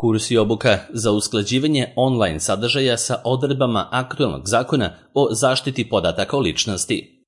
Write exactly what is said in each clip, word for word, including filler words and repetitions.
Kurs i obuka za usklađivanje online sadržaja sa odredbama aktuelnog zakona o zaštiti podataka o ličnosti.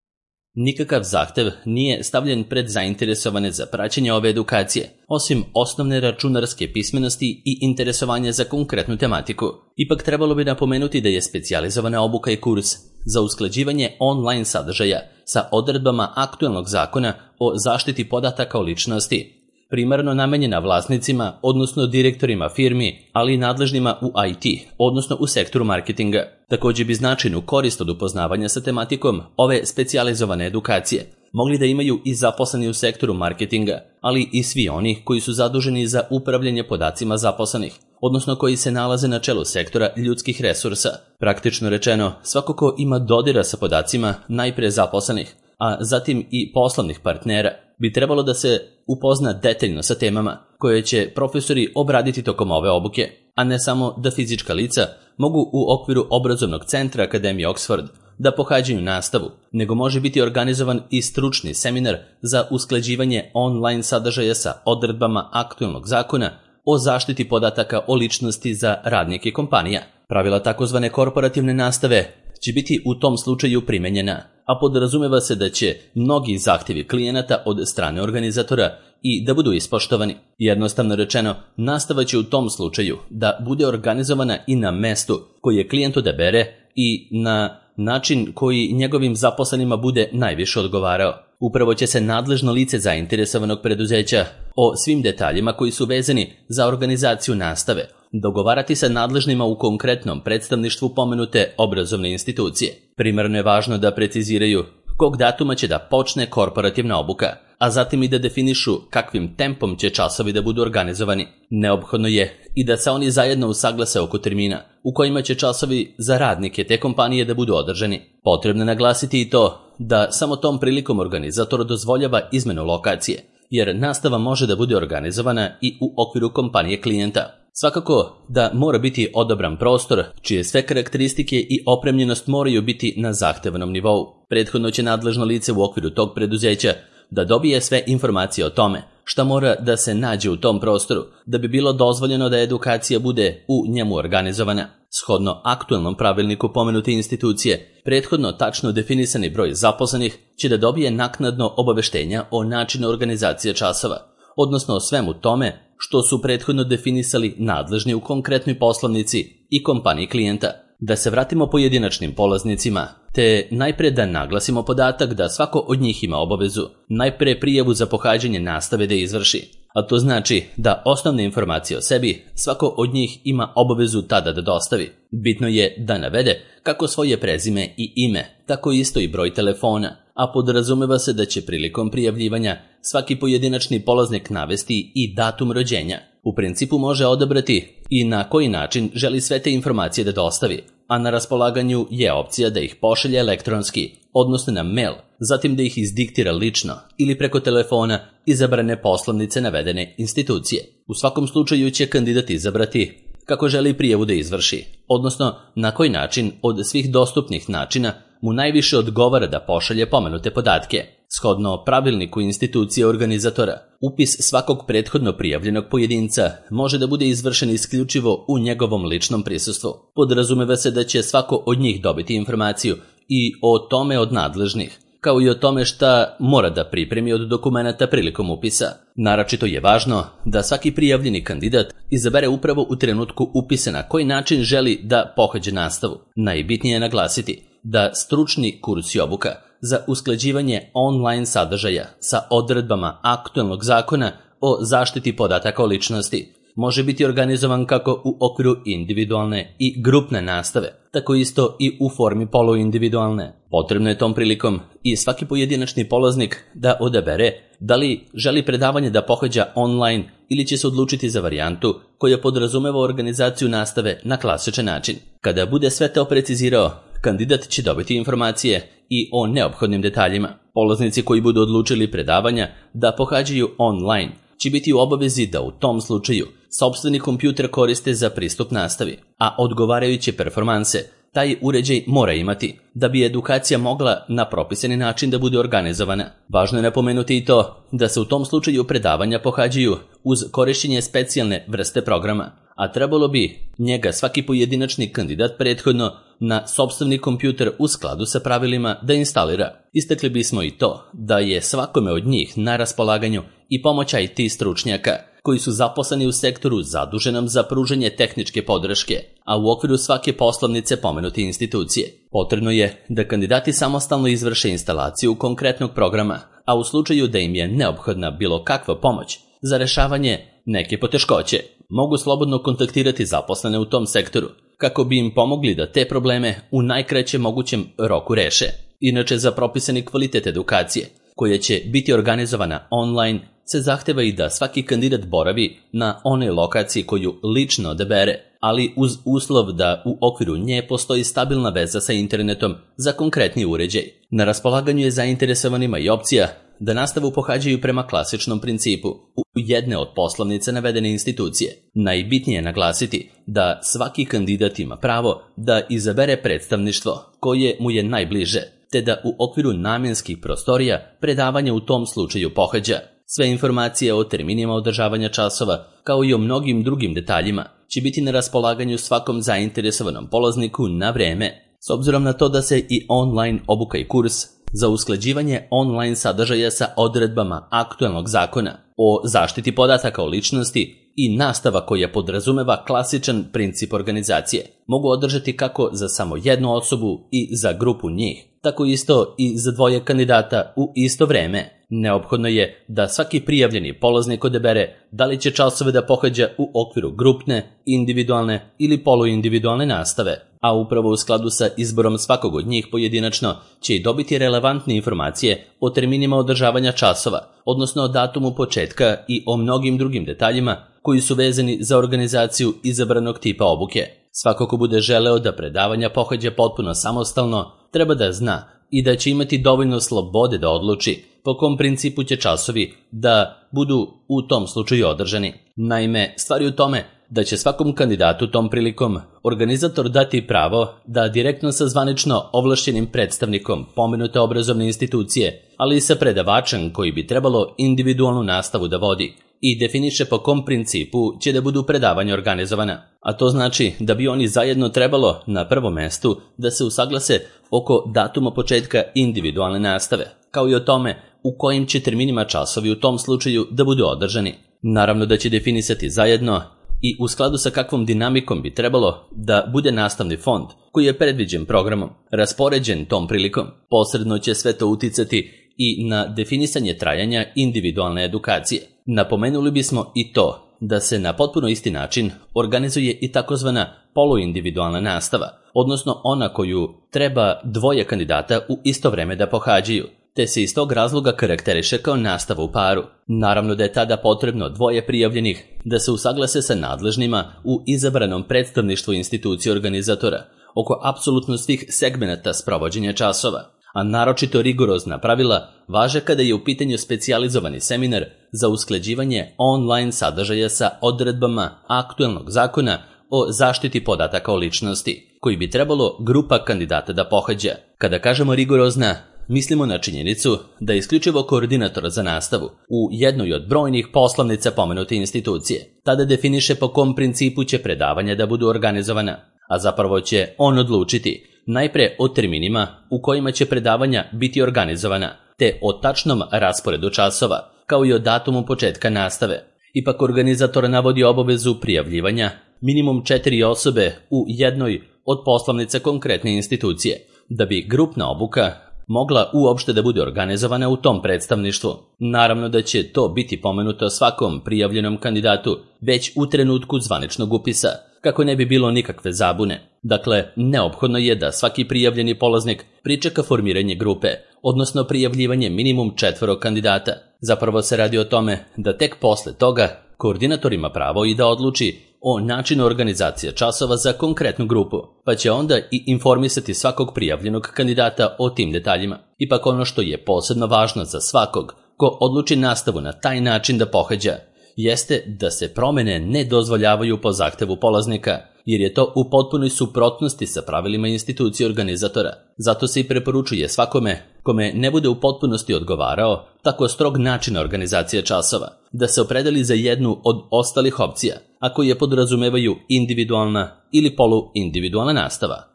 Nikakav zahtev nije stavljen pred zainteresovane za praćenje ove edukacije, osim osnovne računarske pismenosti i interesovanja za konkretnu tematiku. Ipak trebalo bi napomenuti da je specijalizovana obuka i kurs za usklađivanje online sadržaja sa odredbama aktuelnog zakona o zaštiti podataka o ličnosti primarno namenjena vlasnicima, odnosno direktorima firmi, ali i nadležnima u I T, odnosno u sektoru marketinga. Također bi značajnu korist od upoznavanja sa tematikom ove specijalizovane edukacije mogli da imaju i zaposleni u sektoru marketinga, ali i svi oni koji su zaduženi za upravljanje podacima zaposlenih, odnosno koji se nalaze na čelu sektora ljudskih resursa. Praktično rečeno, svako ko ima dodira sa podacima najpre zaposlenih, a zatim i poslovnih partnera, bi trebalo da se upozna detaljno sa temama koje će profesori obraditi tokom ove obuke, a ne samo da fizička lica mogu u okviru obrazovnog centra Akademije Oxford da pohađaju nastavu, nego može biti organizovan i stručni seminar za usklađivanje online sadržaja sa odredbama aktuelnog zakona o zaštiti podataka o ličnosti za radnike kompanija. Pravila takozvane korporativne nastave će biti u tom slučaju primenjena, a podrazumeva se da će mnogi zahtjevi klijenata od strane organizatora i da budu ispoštovani. Jednostavno rečeno, nastava će u tom slučaju da bude organizovana i na mestu koje klijent odabere i na način koji njegovim zaposlenima bude najviše odgovarao. Upravo će se nadležno lice zainteresovanog preduzeća o svim detaljima koji su vezani za organizaciju nastave dogovarati sa nadležnima u konkretnom predstavništvu pomenute obrazovne institucije. Primarno je važno da preciziraju kog datuma će da počne korporativna obuka, a zatim i da definišu kakvim tempom će časovi da budu organizovani. Neophodno je i da se oni zajedno usaglase oko termina u kojima će časovi za radnike te kompanije da budu održani. Potrebno je naglasiti i to da samo tom prilikom organizator dozvoljava izmenu lokacije, jer nastava može da bude organizovana i u okviru kompanije klijenta. Svakako da mora biti odabran prostor, čije sve karakteristike i opremljenost moraju biti na zahtevanom nivou. Prethodno će nadležno lice u okviru tog preduzeća da dobije sve informacije o tome šta mora da se nađe u tom prostoru da bi bilo dozvoljeno da edukacija bude u njemu organizovana. Shodno aktuelnom pravilniku pomenute institucije, prethodno tačno definisani broj zaposlenih će da dobije naknadno obaveštenja o načinu organizacije časova, odnosno o svemu tome što su prethodno definisali nadležni u konkretnoj poslovnici i kompaniji klijenta. Da se vratimo pojedinačnim polaznicima, te najpre da naglasimo podatak da svako od njih ima obavezu najpre prijavu za pohađanje nastave da izvrši, a to znači da osnovne informacije o sebi svako od njih ima obavezu tada da dostavi. Bitno je da navede kako svoje prezime i ime, tako isto i broj telefona, a podrazumeva se da će prilikom prijavljivanja svaki pojedinačni polaznik navesti i datum rođenja. U principu može odabrati i na koji način želi sve te informacije da dostavi, a na raspolaganju je opcija da ih pošalje elektronski, odnosno na mail, zatim da ih izdiktira lično ili preko telefona izabrane poslovnice navedene institucije. U svakom slučaju će kandidat izabrati kako želi prijavu da izvrši, odnosno na koji način od svih dostupnih načina mu najviše odgovara da pošalje pomenute podatke. Shodno pravilniku institucije organizatora, upis svakog prethodno prijavljenog pojedinca može da bude izvršen isključivo u njegovom ličnom prisustvu. Podrazumeva se da će svako od njih dobiti informaciju i o tome od nadležnih, kao i o tome šta mora da pripremi od dokumenata prilikom upisa. Naročito je važno da svaki prijavljeni kandidat izabere upravo u trenutku upisa na koji način želi da pohađa nastavu. Najbitnije je naglasiti da stručni kurs i obuka za usklađivanje online sadržaja sa odredbama aktuelnog zakona o zaštiti podataka o ličnosti može biti organizovan kako u okviru individualne i grupne nastave, tako isto i u formi poluindividualne. Potrebno je tom prilikom i svaki pojedinačni polaznik da odabere da li želi predavanje da pohađa online ili će se odlučiti za varijantu koja podrazumeva organizaciju nastave na klasičan način. Kada bude sve to precizirao, kandidat će dobiti informacije i o neophodnim detaljima. Polaznici koji budu odlučili predavanja da pohađaju online će biti u obavezi da u tom slučaju sopstveni kompjuter koriste za pristup nastavi, a odgovarajuće performanse taj uređaj mora imati da bi edukacija mogla na propisani način da bude organizovana. Važno je napomenuti i to da se u tom slučaju predavanja pohađaju uz korišćenje specijalne vrste programa, a trebalo bi njega svaki pojedinačni kandidat prethodno na sopstveni kompjuter u skladu sa pravilima da instalira. Istakli bismo i to da je svakome od njih na raspolaganju i pomoć I T stručnjaka koji su zaposleni u sektoru zaduženom za pružanje tehničke podrške, a u okviru svake poslovnice pomenute institucije. Potrebno je da kandidati samostalno izvrše instalaciju konkretnog programa, a u slučaju da im je neophodna bilo kakva pomoć za rešavanje neke poteškoće, mogu slobodno kontaktirati zaposlene u tom sektoru, kako bi im pomogli da te probleme u najkraćem mogućem roku reše. Inače, za propisani kvalitet edukacije, koja će biti organizovana online, se zahteva i da svaki kandidat boravi na onoj lokaciji koju lično odabere, ali uz uslov da u okviru nje postoji stabilna veza sa internetom za konkretni uređaj. Na raspolaganju je zainteresovanima i opcija da nastavu pohađaju prema klasičnom principu u jedne od poslovnice navedene institucije. Najbitnije je naglasiti da svaki kandidat ima pravo da izabere predstavništvo koje mu je najbliže, te da u okviru namjenskih prostorija predavanje u tom slučaju pohađa. Sve informacije o terminima održavanja časova, kao i o mnogim drugim detaljima, će biti na raspolaganju svakom zainteresovanom polazniku na vreme. S obzirom na to da se i online obuka i kurs za usklađivanje online sadržaja sa odredbama aktuelnog zakona o zaštiti podataka o ličnosti i nastava koja podrazumeva klasičan princip organizacije mogu održati kako za samo jednu osobu i za grupu njih, tako isto i za dvoje kandidata u isto vreme. Neophodno je da svaki prijavljeni polaznik odabere da li će časove da pohađa u okviru grupne, individualne ili poluindividualne nastave, a upravo u skladu sa izborom svakog od njih pojedinačno će i dobiti relevantne informacije o terminima održavanja časova, odnosno o datumu početka i o mnogim drugim detaljima koji su vezani za organizaciju izabranog tipa obuke. Svako ko bude želeo da predavanja pohađa potpuno samostalno, treba da zna i da će imati dovoljno slobode da odluči po kom principu će časovi da budu u tom slučaju održani. Naime, stvar je u tome da će svakom kandidatu tom prilikom organizator dati pravo da direktno sa zvanično ovlašćenim predstavnikom pomenute obrazovne institucije, ali i sa predavačem koji bi trebalo individualnu nastavu da vodi i definiše po kom principu će da budu predavanja organizovana. A to znači da bi oni zajedno trebalo na prvom mestu da se usaglase oko datuma početka individualne nastave, kao i o tome u kojim će terminima časovi u tom slučaju da budu održani. Naravno da će definisati zajedno i u skladu sa kakvom dinamikom bi trebalo da bude nastavni fond koji je predviđen programom, raspoređen tom prilikom. Posredno će sve to uticati i na definisanje trajanja individualne edukacije. Napomenuli bismo i to da se na potpuno isti način organizuje i takozvana poluindividualna nastava, odnosno ona koju treba dvoje kandidata u isto vreme da pohađaju, te se iz tog razloga karakteriše kao nastava u paru. Naravno da je tada potrebno dvoje prijavljenih da se usaglase sa nadležnima u izabranom predstavništvu institucije organizatora oko apsolutno svih segmenata sprovođenja časova, a naročito rigorozna pravila važe kada je u pitanju specijalizovani seminar za usklađivanje online sadržaja sa odredbama aktuelnog zakona o zaštiti podataka o ličnosti, koji bi trebalo grupa kandidata da pohađa. Kada kažemo rigorozna, mislimo na činjenicu da je isključivo koordinator za nastavu u jednoj od brojnih poslovnica pomenute institucije. Tada definiše po kom principu će predavanja da budu organizovana, a zapravo će on odlučiti najpre o terminima u kojima će predavanja biti organizovana, te o tačnom rasporedu časova, kao i o datumu početka nastave. Ipak organizator navodi obavezu prijavljivanja minimum četiri osobe u jednoj od poslovnica konkretne institucije, da bi grupna obuka mogla uopšte da bude organizovana u tom predstavništvu. Naravno da će to biti pomenuto svakom prijavljenom kandidatu već u trenutku zvaničnog upisa, kako ne bi bilo nikakve zabune. Dakle, neophodno je da svaki prijavljeni polaznik pričeka formiranje grupe, odnosno prijavljivanje minimum četvoro kandidata. Zapravo se radi o tome da tek posle toga koordinator ima pravo i da odluči o načinu organizacije časova za konkretnu grupu, pa će onda i informisati svakog prijavljenog kandidata o tim detaljima. Ipak ono što je posebno važno za svakog ko odluči nastavu na taj način da pohađa, jeste da se promene ne dozvoljavaju po zahtevu polaznika, jer je to u potpunoj suprotnosti sa pravilima institucije organizatora. Zato se i preporučuje svakome kome ne bude u potpunosti odgovarao tako strog način organizacije časova, da se opredeli za jednu od ostalih opcija, a koje podrazumevaju individualna ili poluindividualna nastava.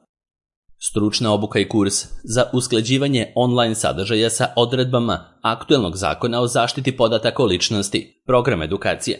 Stručna obuka i kurs za usklađivanje online sadržaja sa odredbama aktuelnog zakona o zaštiti podataka o ličnosti, program edukacije.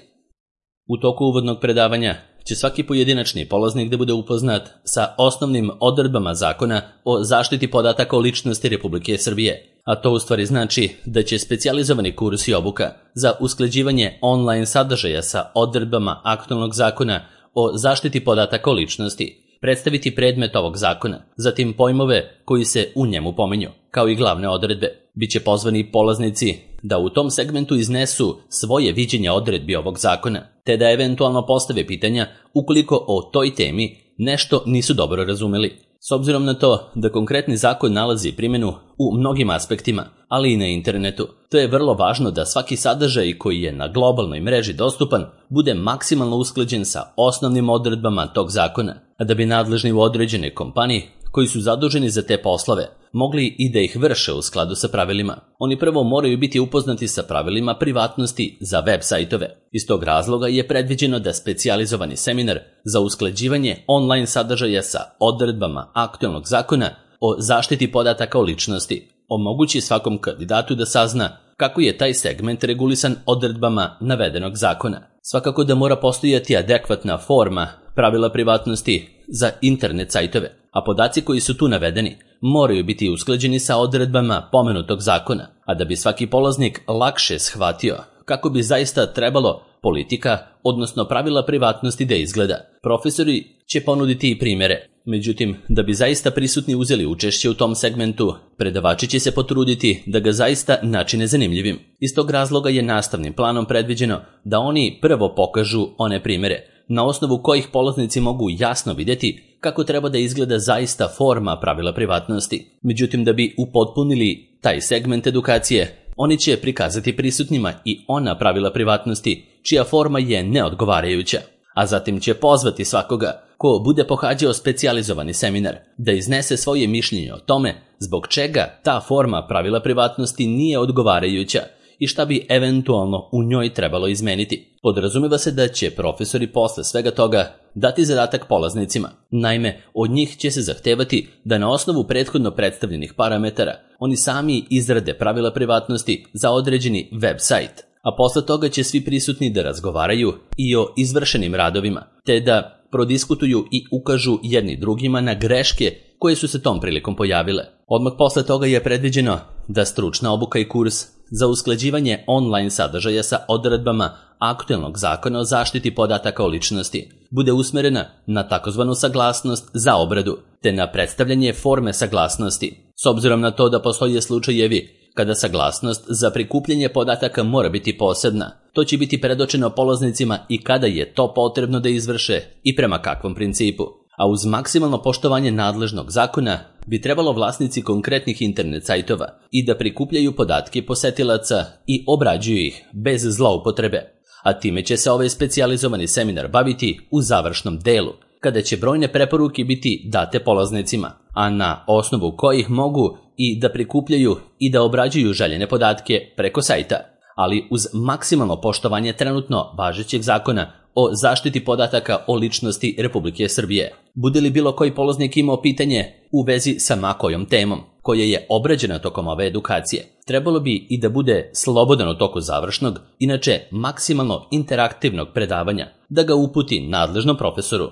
U toku uvodnog predavanja će svaki pojedinačni polaznik da bude upoznat sa osnovnim odredbama zakona o zaštiti podataka o ličnosti Republike Srbije, a to u stvari znači da će specijalizovani kurs i obuka za usklađivanje online sadržaja sa odredbama aktuelnog zakona o zaštiti podataka o ličnosti predstaviti predmet ovog zakona, zatim pojmove koji se u njemu pominju, kao i glavne odredbe. Biće pozvani polaznici da u tom segmentu iznesu svoje viđenje odredbi ovog zakona, te da eventualno postave pitanja ukoliko o toj temi nešto nisu dobro razumeli. S obzirom na to da konkretni zakon nalazi primjenu u mnogim aspektima, ali i na internetu, to je vrlo važno da svaki sadržaj koji je na globalnoj mreži dostupan bude maksimalno usklađen sa osnovnim odredbama tog zakona, a da bi nadležni u određenoj kompaniji koji su zaduženi za te poslove mogli i da ih vrše u skladu sa pravilima. Oni prvo moraju biti upoznati sa pravilima privatnosti za web sajtove. Iz tog razloga je predviđeno da specijalizovani seminar za usklađivanje online sadržaja sa odredbama aktuelnog zakona o zaštiti podataka o ličnosti omogući svakom kandidatu da sazna kako je taj segment regulisan odredbama navedenog zakona. Svakako da mora postojati adekvatna forma pravila privatnosti za internet sajtove, a podaci koji su tu navedeni moraju biti usklađeni sa odredbama pomenutog zakona, a da bi svaki polaznik lakše shvatio kako bi zaista trebalo politika, odnosno pravila privatnosti da izgleda. Profesori će ponuditi i primjere, međutim, da bi zaista prisutni uzeli učešće u tom segmentu, predavači će se potruditi da ga zaista načine zanimljivim. Iz tog razloga je nastavnim planom predviđeno da oni prvo pokažu one primjere, na osnovu kojih polaznici mogu jasno vidjeti kako treba da izgleda zaista forma pravila privatnosti. Međutim, da bi upotpunili taj segment edukacije, oni će prikazati prisutnima i ona pravila privatnosti čija forma je neodgovarajuća, a zatim će pozvati svakoga ko bude pohađao specijalizovani seminar da iznese svoje mišljenje o tome zbog čega ta forma pravila privatnosti nije odgovarajuća i šta bi eventualno u njoj trebalo izmeniti. Podrazumeva se da će profesori posle svega toga dati zadatak polaznicima. Naime, od njih će se zahtevati da na osnovu prethodno predstavljenih parametara oni sami izrade pravila privatnosti za određeni web sajt, a posle toga će svi prisutni da razgovaraju i o izvršenim radovima, te da prodiskutuju i ukažu jedni drugima na greške koje su se tom prilikom pojavile. Odmah posle toga je predviđeno da stručna obuka i kurs za usklađivanje online sadržaja sa odredbama aktuelnog zakona o zaštiti podataka o ličnosti bude usmerena na takozvanu saglasnost za obradu, te na predstavljanje forme saglasnosti. S obzirom na to da postoje slučajevi kada saglasnost za prikupljanje podataka mora biti posebna, to će biti predočeno polaznicima i kada je to potrebno da izvrše i prema kakvom principu. A uz maksimalno poštovanje nadležnog zakona bi trebalo vlasnici konkretnih internet sajtova i da prikupljaju podatke posetilaca i obrađuju ih bez zloupotrebe, a time će se ovaj specijalizovani seminar baviti u završnom delu, kada će brojne preporuke biti date polaznicima, a na osnovu kojih mogu i da prikupljaju i da obrađuju željene podatke preko sajta, ali uz maksimalno poštovanje trenutno važećeg zakona o zaštiti podataka o ličnosti Republike Srbije. Bude li bilo koji polaznik imao pitanje u vezi sa makojom temom koja je obrađena tokom ove edukacije, trebalo bi i da bude slobodan u toku završnog, inače maksimalno interaktivnog predavanja, da ga uputi nadležnom profesoru.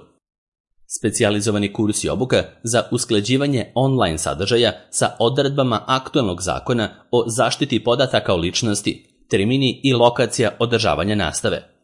Specijalizovani kurs i obuka za usklađivanje online sadržaja sa odredbama aktuelnog zakona o zaštiti podataka o ličnosti, termini i lokacija održavanja nastave.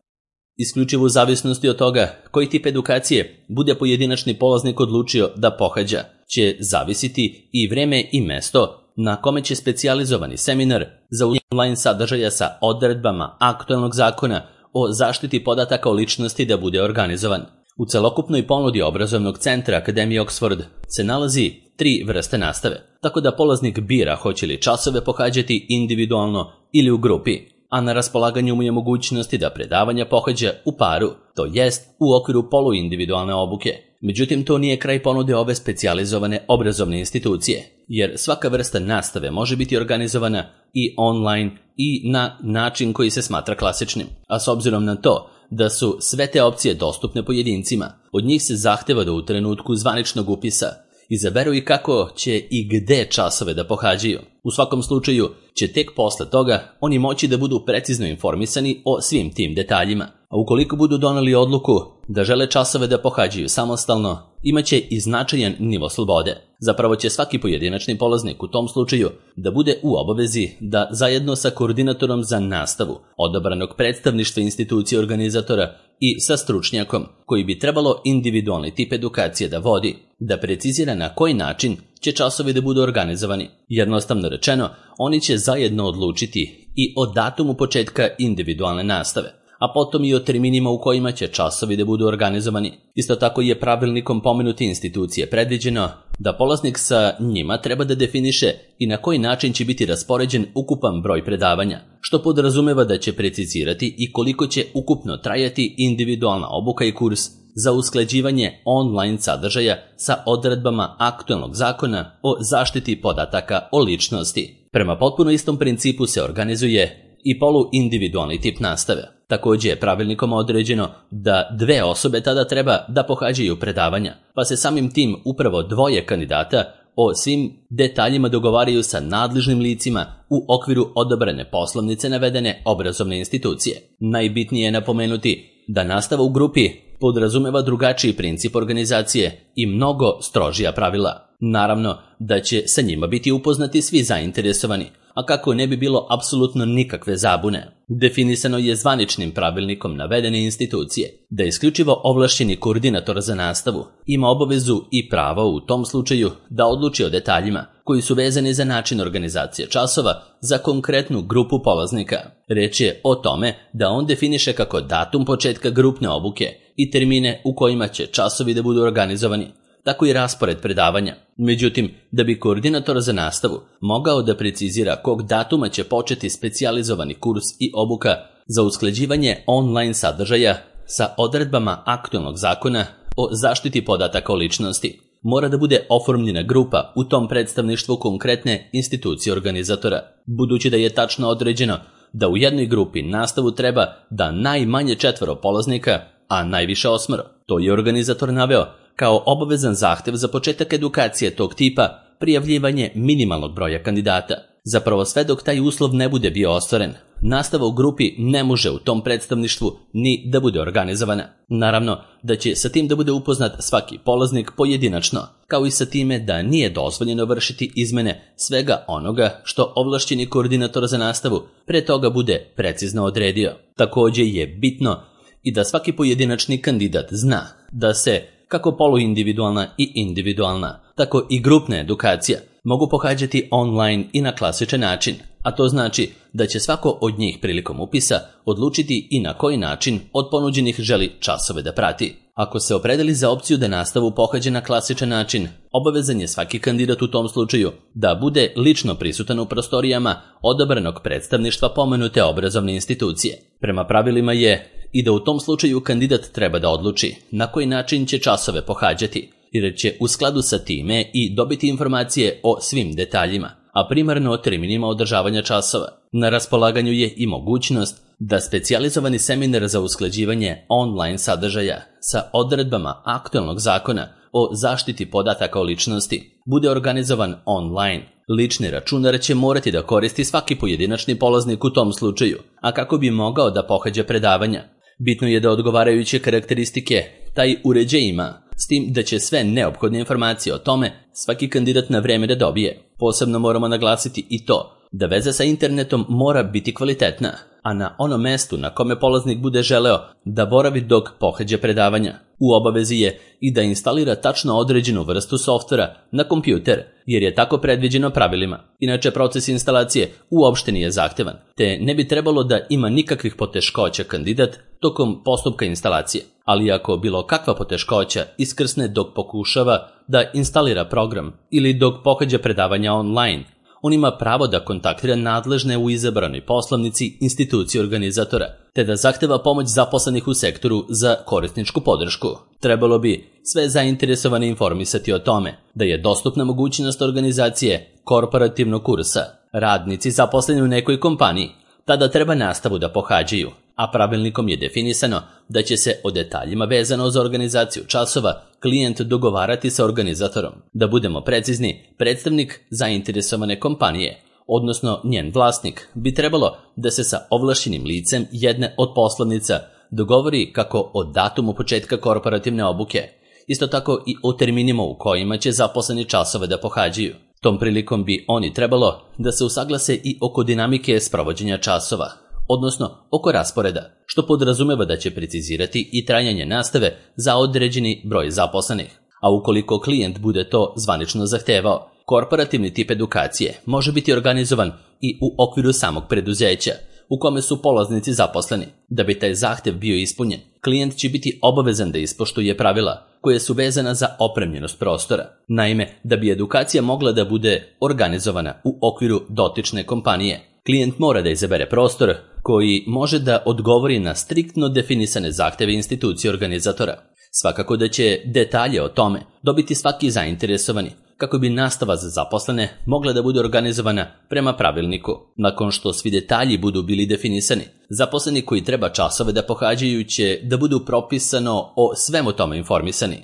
Isključivo u zavisnosti od toga koji tip edukacije bude pojedinačni polaznik odlučio da pohađa, će zavisiti i vreme i mesto na kome će specijalizovani seminar za online sadržaja sa odredbama aktuelnog zakona o zaštiti podataka o ličnosti da bude organizovan. U celokupnoj ponudi obrazovnog centra Akademije Oxford se nalazi tri vrste nastave, tako da polaznik bira hoće li časove pohađati individualno ili u grupi, a na raspolaganju mu je mogućnosti da predavanja pohađa u paru, to jest u okviru poluindividualne obuke. Međutim, to nije kraj ponude ove specijalizovane obrazovne institucije, jer svaka vrsta nastave može biti organizovana i online i na način koji se smatra klasičnim. A s obzirom na to da su sve te opcije dostupne pojedincima, od njih se zahteva da u trenutku zvaničnog upisa izaberu i kako će i gde časove da pohađaju. U svakom slučaju će tek posle toga oni moći da budu precizno informisani o svim tim detaljima. A ukoliko budu doneli odluku da žele časove da pohađaju samostalno, imaće i značajan nivo slobode. Zapravo će svaki pojedinačni polaznik u tom slučaju da bude u obavezi da zajedno sa koordinatorom za nastavu odabranog predstavništva institucije organizatora i sa stručnjakom koji bi trebalo individualni tip edukacije da vodi, da precizira na koji način će časovi da budu organizovani. Jednostavno rečeno, oni će zajedno odlučiti i o datumu početka individualne nastave, a potom i o terminima u kojima će časovi da budu organizovani. Isto tako je pravilnikom pomenute institucije predviđeno da polaznik sa njima treba da definiše i na koji način će biti raspoređen ukupan broj predavanja, što podrazumeva da će precizirati i koliko će ukupno trajati individualna obuka i kurs za usklađivanje online sadržaja sa odredbama aktuelnog zakona o zaštiti podataka o ličnosti. Prema potpuno istom principu se organizuje i poluindividualni tip nastave. Također je pravilnikom određeno da dve osobe tada treba da pohađaju predavanja, pa se samim tim upravo dvoje kandidata o svim detaljima dogovaraju sa nadležnim licima u okviru odabrane poslovnice navedene obrazovne institucije. Najbitnije je napomenuti da nastava u grupi podrazumeva drugačiji princip organizacije i mnogo strožija pravila. Naravno da će sa njima biti upoznati svi zainteresovani, a kako ne bi bilo apsolutno nikakve zabune. Definisano je zvaničnim pravilnikom navedene institucije da isključivo ovlašćeni koordinator za nastavu ima obavezu i pravo u tom slučaju da odluči o detaljima koji su vezani za način organizacije časova za konkretnu grupu polaznika. Reč je o tome da on definiše kako datum početka grupne obuke i termine u kojima će časovi da budu organizovani, tako i raspored predavanja. Međutim, da bi koordinator za nastavu mogao da precizira kog datuma će početi specijalizovani kurs i obuka za usklađivanje online sadržaja sa odredbama aktuelnog zakona o zaštiti podataka o ličnosti, mora da bude oformljena grupa u tom predstavništvu konkretne institucije organizatora, budući da je tačno određeno da u jednoj grupi nastavu treba da najmanje četvoro polaznika, a najviše osmoro. To je organizator naveo kao obavezan zahtev za početak edukacije tog tipa prijavljivanje minimalnog broja kandidata. Zapravo sve dok taj uslov ne bude bio ostvaren, nastava u grupi ne može u tom predstavništvu ni da bude organizovana. Naravno da će sa tim da bude upoznat svaki polaznik pojedinačno, kao i sa time da nije dozvoljeno vršiti izmene svega onoga što ovlašćeni koordinator za nastavu pre toga bude precizno odredio. Također je bitno i da svaki pojedinačni kandidat zna da se kako poluindividualna i individualna, tako i grupna edukacija mogu pohađati online i na klasičan način, a to znači da će svako od njih prilikom upisa odlučiti i na koji način od ponuđenih želi časove da prati. Ako se opredeli za opciju da nastavu pohađa na klasičan način, obavezan je svaki kandidat u tom slučaju da bude lično prisutan u prostorijama odabranog predstavništva pomenute obrazovne institucije. Prema pravilima je i da u tom slučaju kandidat treba da odluči na koji način će časove pohađati, jer će u skladu sa time i dobiti informacije o svim detaljima, a primarno o terminima održavanja časova. Na raspolaganju je i mogućnost da specijalizovani seminar za usklađivanje online sadržaja sa odredbama aktuelnog zakona o zaštiti podataka o ličnosti bude organizovan online. Lični računar će morati da koristi svaki pojedinačni polaznik u tom slučaju, a kako bi mogao da pohađa predavanja, bitno je da odgovarajuće karakteristike taj uređaj ima, s tim da će sve neophodne informacije o tome svaki kandidat na vreme da dobije. Posebno moramo naglasiti i to da veza sa internetom mora biti kvalitetna, a na onom mestu na kome polaznik bude želeo da boravi dok pohađa predavanja, u obavezi je i da instalira tačno određenu vrstu softvera na kompjuter, jer je tako predviđeno pravilima. Inače, proces instalacije uopšte nije zahtevan, te ne bi trebalo da ima nikakvih poteškoća kandidat tokom postupka instalacije. Ali ako bilo kakva poteškoća iskrsne dok pokušava da instalira program ili dok pohađa predavanja online, on ima pravo da kontaktira nadležne u izabranoj poslovnici institucije organizatora, te da zahteva pomoć zaposlenih u sektoru za korisničku podršku. Trebalo bi sve zainteresovane informisati o tome da je dostupna mogućnost organizacije korporativnog kursa. Radnici zaposleni u nekoj kompaniji tada treba nastavu da pohađaju, a pravilnikom je definisano da će se o detaljima vezano za organizaciju časova klijent dogovarati sa organizatorom. Da budemo precizni, predstavnik zainteresovane kompanije, odnosno njen vlasnik, bi trebalo da se sa ovlašćenim licem jedne od poslovnica dogovori kako o datumu početka korporativne obuke, isto tako i o terminima u kojima će zaposleni časove da pohađaju. Tom prilikom bi oni trebalo da se usaglase i oko dinamike sprovođenja časova, odnosno oko rasporeda, što podrazumeva da će precizirati i trajanje nastave za određeni broj zaposlenih. A ukoliko klijent bude to zvanično zahtevao, korporativni tip edukacije može biti organizovan i u okviru samog preduzeća, u kome su polaznici zaposleni. Da bi taj zahtev bio ispunjen, klijent će biti obavezan da ispoštuje pravila koje su vezana za opremljenost prostora. Naime, da bi edukacija mogla da bude organizovana u okviru dotične kompanije, klijent mora da izabere prostor koji može da odgovori na striktno definisane zahteve institucije organizatora. Svakako da će detalje o tome dobiti svaki zainteresovani, kako bi nastava za zaposlene mogla da bude organizovana prema pravilniku. Nakon što svi detalji budu bili definisani, zaposleni koji treba časove da pohađaju će da budu propisano o svemu tome informisani.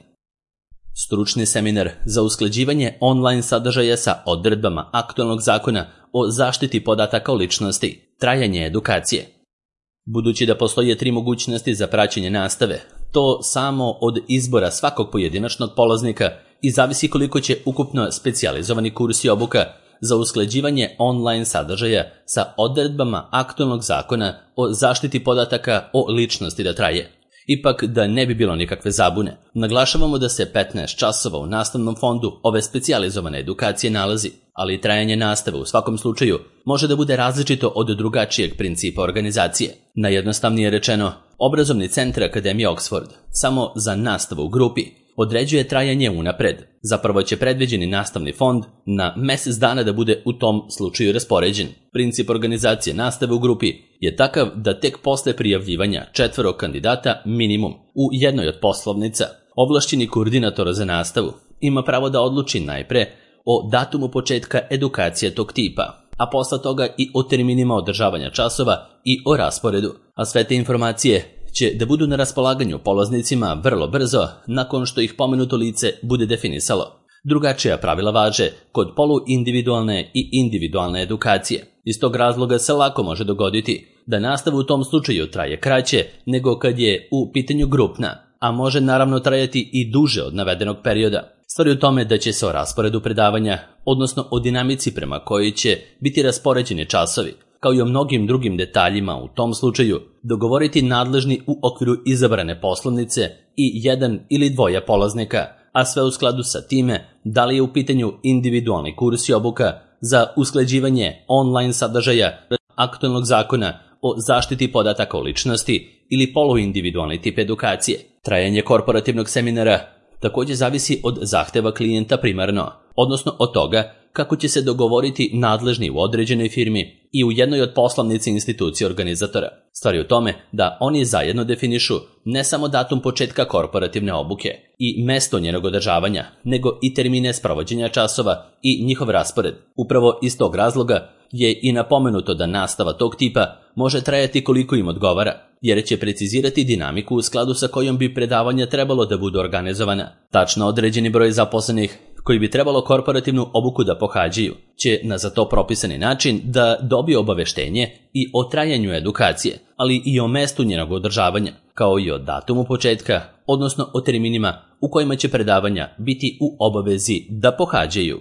Stručni seminar za usklađivanje online sadržaja sa odredbama aktualnog zakona o zaštiti podataka o ličnosti, trajanje edukacije. Budući da postoje tri mogućnosti za praćenje nastave, to samo od izbora svakog pojedinačnog polaznika i zavisi koliko će ukupno specijalizovani kurs i obuka za usklađivanje online sadržaja sa odredbama aktualnog zakona o zaštiti podataka o ličnosti da traje. Ipak, da ne bi bilo nikakve zabune, naglašavamo da se petnaest časova u nastavnom fondu ove specijalizovane edukacije nalazi, ali trajanje nastave u svakom slučaju može da bude različito od drugačijeg principa organizacije. Najjednostavnije rečeno, obrazovni centar Akademije Oxford samo za nastavu u grupi određuje trajanje unapred. Zapravo će predviđeni nastavni fond na mesec dana da bude u tom slučaju raspoređen. Princip organizacije nastave u grupi je takav da tek posle prijavljivanja četvoro kandidata minimum u jednoj od poslovnica, ovlašćeni koordinator za nastavu ima pravo da odluči najpre o datumu početka edukacije tog tipa, a posle toga i o terminima održavanja časova i o rasporedu, a sve te informacije će da budu na raspolaganju polaznicima vrlo brzo nakon što ih pomenuto lice bude definisalo. Drugačija pravila važe kod poluindividualne i individualne edukacije. Iz tog razloga se lako može dogoditi da nastava u tom slučaju traje kraće nego kad je u pitanju grupna, a može naravno trajati i duže od navedenog perioda. Stvar je u tome da će se o rasporedu predavanja, odnosno o dinamici prema kojoj će biti raspoređeni časovi, kao i o mnogim drugim detaljima u tom slučaju, dogovoriti nadležni u okviru izabrane poslovnice i jedan ili dvoje polaznika, a sve u skladu sa time da li je u pitanju individualni kurs i obuka za usklađivanje online sadržaja aktualnog zakona o zaštiti podataka o ličnosti ili poluindividualni tip edukacije. Trajanje korporativnog seminara također zavisi od zahteva klijenta primarno, odnosno od toga kako će se dogovoriti nadležni u određenoj firmi i u jednoj od poslovnici institucije organizatora. Stvar je u tome da oni zajedno definišu ne samo datum početka korporativne obuke i mesto njenog održavanja, nego i termine sprovođenja časova i njihov raspored. Upravo iz tog razloga je i napomenuto da nastava tog tipa može trajati koliko im odgovara, jer će precizirati dinamiku u skladu sa kojom bi predavanja trebalo da budu organizovana. Tačno određeni broj zaposlenih koji bi trebalo korporativnu obuku da pohađaju će na za to propisani način da dobije obaveštenje i o trajanju edukacije, ali i o mestu njenog održavanja, kao i o datumu početka, odnosno o terminima u kojima će predavanja biti u obavezi da pohađaju.